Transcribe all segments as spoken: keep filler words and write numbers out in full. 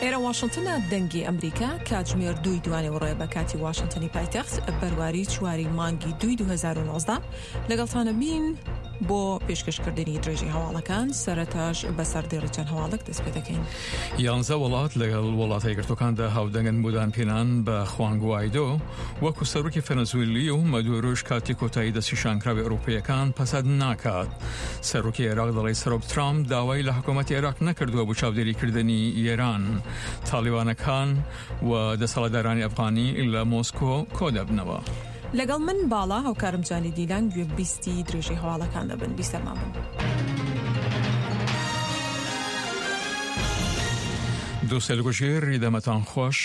ئێرە واشنتنە، دەنگی ئەمریکا، کاتژمێر دووی دوانیوەڕۆیە بە کاتی واشنتنی پایتەخت، بەرواری چواری مانگی دووی دوو هەزار و نۆزدە. لەگەڵتانە بین بۆ پێشکەشکردنی درێژەی هەواڵەکان، سەرەتاش بە سەردێڕی چەند هەواڵێک دەست پێ دەکەین. یانزە وڵات لەگەڵ وڵاتە یەکگرتووەکاندا هاودەنگن بۆ دانپێنان بە خوان گوایدۆ وەکو سەرۆکی فەنەزویلی و مەدورۆش کاتی کۆتایی دەستنیشانکراوی ئەوروپییەکان پەسەند ناکات. سەرۆکی عێراق دەڵێت سەرۆک ترامپ داوای لە حکوومەتی عێراق نەکردووە بۆ چاودێریکردنی ئێران. تاڵیبانەکان و دەسەڵاتدارانی ئەفغانی لە مۆسکۆ کۆدەبنەوە. لەگەڵ من باڵا هاوکارم جانی دیلان گوێ بیستی درێژەی هەواڵەکان دەبن. بیسەرمان بن. دووسێل گوژێر دەمەتان خۆش.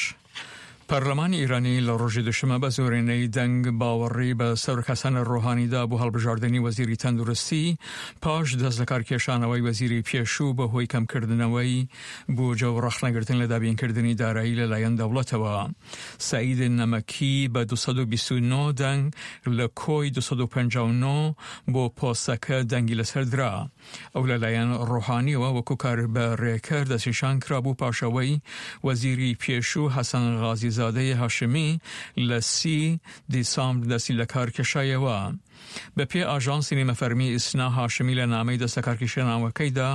پەرلەمانی ئێرانی لە ڕۆژی دوشەممە بە زۆرینەی دەنگ باوەڕی بە سەرۆک حەسەن ڕۆحانیدا بۆ هەڵبژاردنی وەزیری تەندروستی پاش دەست لەکارکێشانەوەی وەزیری پێشوو بەهۆی کەمکردنەوەی بودجە و ڕەخنەگرتن لە دابینکردنی دارایی لەلایەن دەوڵەتەوە. سەعید نەمەکی بە دوو سەد و بیست و نۆ دەنگ لە کۆی دوو سەد و پەنجا و نۆ بۆ پۆستەکە دەنگی لەسەر درا. ئەو لەلایەن ڕۆحانیەوە وەکو کاربەڕێکەر دەستنیشان کرابوو پاشەوەی وەزیری پێشوو حەسەن غازیزادەی هاشمی لە سی دیسامبر دەستی لەکار کێشایەوە. بە پێ ئاژانسی نیمە فەرمی ئیسنا هاشمی لە نامەی دەست لەکارکێشانەوەکەیدا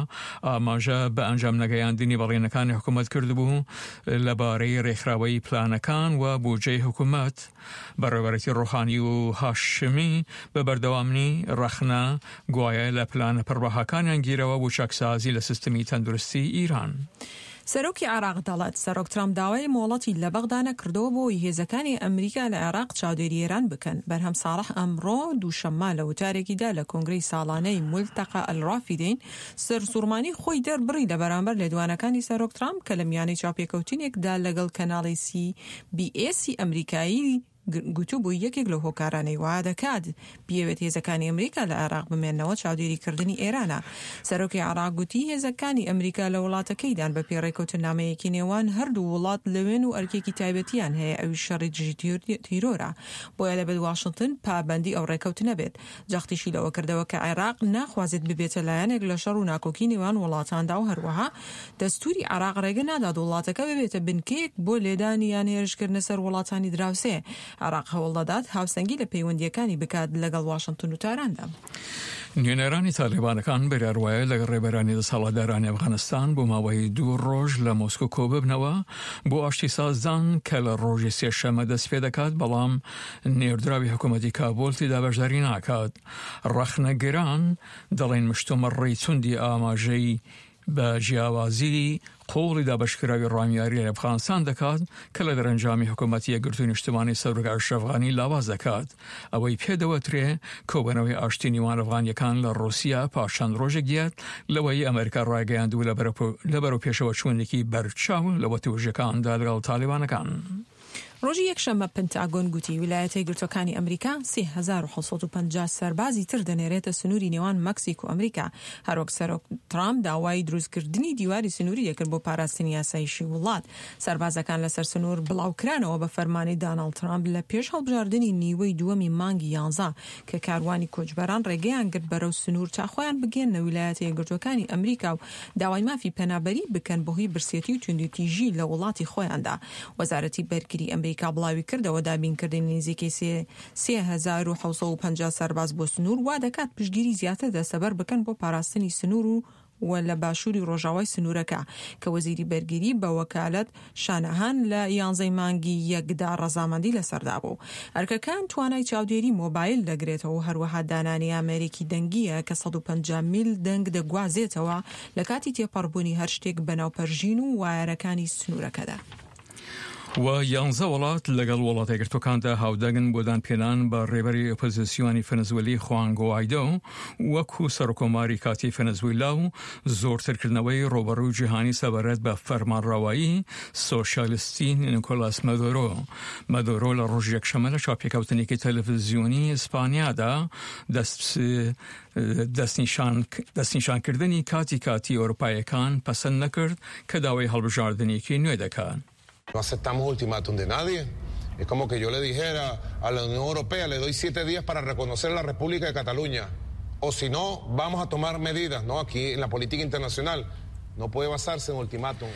ئاماژە بە ئەنجام نەگەیاندنی بەڵێنەکانی حکوومەت کردبوو لەبارەی ڕێکخراوەی پلانەکان و بودجەی حکوومەت. بەڕێوەبەرێتی ڕۆحانی و هاشمی بە بەردەوامی ڕەخنە گوایە لە پلانە پڕبەهاکانیان گیرەوە بۆ چاکسازی لە سیستمی تەندروستی ئیران. سەرۆکی عێراق دەڵێت سەرۆک ترامپ داوای مۆڵەتی لە بەغدا نەکردەوە بۆ ئەوەی هێزەکانی ئەمریکا لە عێراق چاودێری ئێران بکەن. بەرهەم ساڵح ئەمڕۆ دووشەممە لە وتارێکیدا لە کۆنگرەی ساڵانەی مولتەقا ئەلرافیدەین سەرسوڕمانی خۆی دەربڕی لە بەرامبەر لێدوانەکانی سەرۆک ترامپ کە لە میانەی چاوپێکەوتنێکدا لەگەڵ کەناڵی سی بی ئێسی ئەمریکایی گوتوبووی یەکێک لەو هۆکارانەی وا دەکات بیەوێت هێزەکانی ئەمریکا لە عێراق بمێنەوە چاودێریکردنی ئێرانە. سەرۆکی عێراق گوتی هێزەکانی ئەمریکا لە وڵاتەکەیدان بە پێی ڕێکەوتنامەیەکی نێوان هەردوو وڵات لەوێن و ئەرکێکی تایبەتیان هەیە ئەویش شەڕی دژی تیرۆرە، بۆیە دەبێت واشنتن پابەندی ئەو ڕێکەوتنە بێت. جەختیشی لەوە کردەوە کە عێراق ناخوازێت ببێتە لایەنێک لە شەڕ و ناکۆکی نێوان وڵاتاندا و هەروەها دەستوری عێراق ڕێگە نادات وڵاتەکە ببێتە بنکەیەک بۆ لێدانی یان هێرشکردنە سەر وڵاتانی دراوسێ. عێراق هەوڵدەدات هاوسەنگی لە پەیوەندییەکانی بکات لەگەڵ واشنتن و تاراندا. نوێنەرانی تالیبانەکان بڕیار وایە لەگەڵ ڕێبەرانی دەسەڵاتدارانی ئەفغانستان بۆ ماوەی دوو ڕۆژ لە مۆسکۆ کۆببنەوە بۆ ئاشتی سازدان کە لە ڕۆژی سێشەممە دەست پێ دەکات، بەڵام نێردراوی حکوومەتی کابول تێدا بەشداری ناکات. ڕەخنەگران دەڵێن مشتومڕی توندی ئاماژەی بە جیاوازی قوڵی دابەشکراوی ڕامیاری لە ئەفغانستان دەکات کە لە دەرەنجامی حکوومەتی یەکگرتووی نیشتمانی سەرۆک ئەشرەف غانی لاواز دەکات. ئەوەی پێدەوەترێ کۆبەنەوەی ئاشتی نێوان ئەفغانیەکان لە ڕوسیا پاش چەند ڕۆژێک دیات لەوەی ئەمریکا ڕایگەیاندوو لە بەرەو پێشەوە چوونێکی بەرچاو لە وتووژەکاندا لەگەڵ تالیبانەکان. ڕۆژی یەکشەممە پنتاگۆن گوتی ویلایەتە یەکگرتووەکانی ئەمریکا سێ هەزار و حەوت سەد و پەنجا سەربازی تر دەنێرێتە سنووری نێوان مەکسیک و ئەمریکا، هەروەک سەرۆک ترامپ داوای دروستکردنی دیواری سنووری دەکرد بۆ پاراستنی یاسایشی وڵات. سەربازەکان لەسەر سنوور بڵاوکرانەوە بە فەرمانی داناڵد ترامپ لە پێش هەڵبژاردنی نیوەی دووەمی مانگی یانزە کە کاروانی کۆچبەران ڕێگەیان گرت بەرەو سنوور تا خۆیان بگەیەننە ویلایەتە یەکگرتووەکانی ئەمریکا و داوای مافی پەنابەری بکەن بەهۆی برسێتی و توندوتیژی لە وڵاتی خۆیاندا. وەزارەتی بەرگری ئەمریکا بڵاوی کردەوە دابینکردنی نزیکەی سێ هەزار و حەوت سەد و پەنجا سەرباز بۆ سنوور وا دەکات پشتگیری زیاتر دەستەبەر بکەن بۆ پاراستنی سنوور و و لە باشووری ڕۆژاوای سنوورەکە کە وەزیری بەرگری بە وەکالەت شانەهان لە یانزەی مانگی یەکدا ڕەزامەندی لەسەردا بوو. ئەرکەکان توانای چاودێری مۆبایل دەگرێتەوە و هەروەها دانانی ئامێرێکی دەنگیە کە سەد و پەنجا میل دەنگ دەگوازێتەوە لە کاتی تێپەڕبوونی هەر شتێک بەناو پەرژین و وایەرەکانی سنوورەکەدا. و یانزە وڵات لەگەڵ وڵاتە یەکگرتووەکاندا هاودەنگن بۆ دانپێنان بە ڕێبەری ئۆپۆزیسیۆنی فەنەزوێلی خوان گوایدۆ وەکو سەرۆککۆماری کاتی فەنەزویلا و زۆرترکردنەوەی ڕووبەڕووی جیهانی سەبارەت بە فەرمانڕەوایی سۆشیالیستی نیکۆلاس مادورۆ. مادورۆ لە ڕۆژی یەکشەممە لە چاوپێکەوتنێکی تەلەڤزیۆنی ئیسپانیادا دەست دەستنیشانکردنی کاتی کاتی ئەوروپاییەکان پەسەند نەکرد کە داوای هەڵبژاردنێکی نوێ دەکات. No aceptamos ultimátum de nadie. Es como que yo le dijera a la Unión Europea, le doy siete días para reconocer la República de Cataluña. O si no, vamos a tomar medidas, ¿no? Aquí en la política internacional no puede basarse en ultimátum.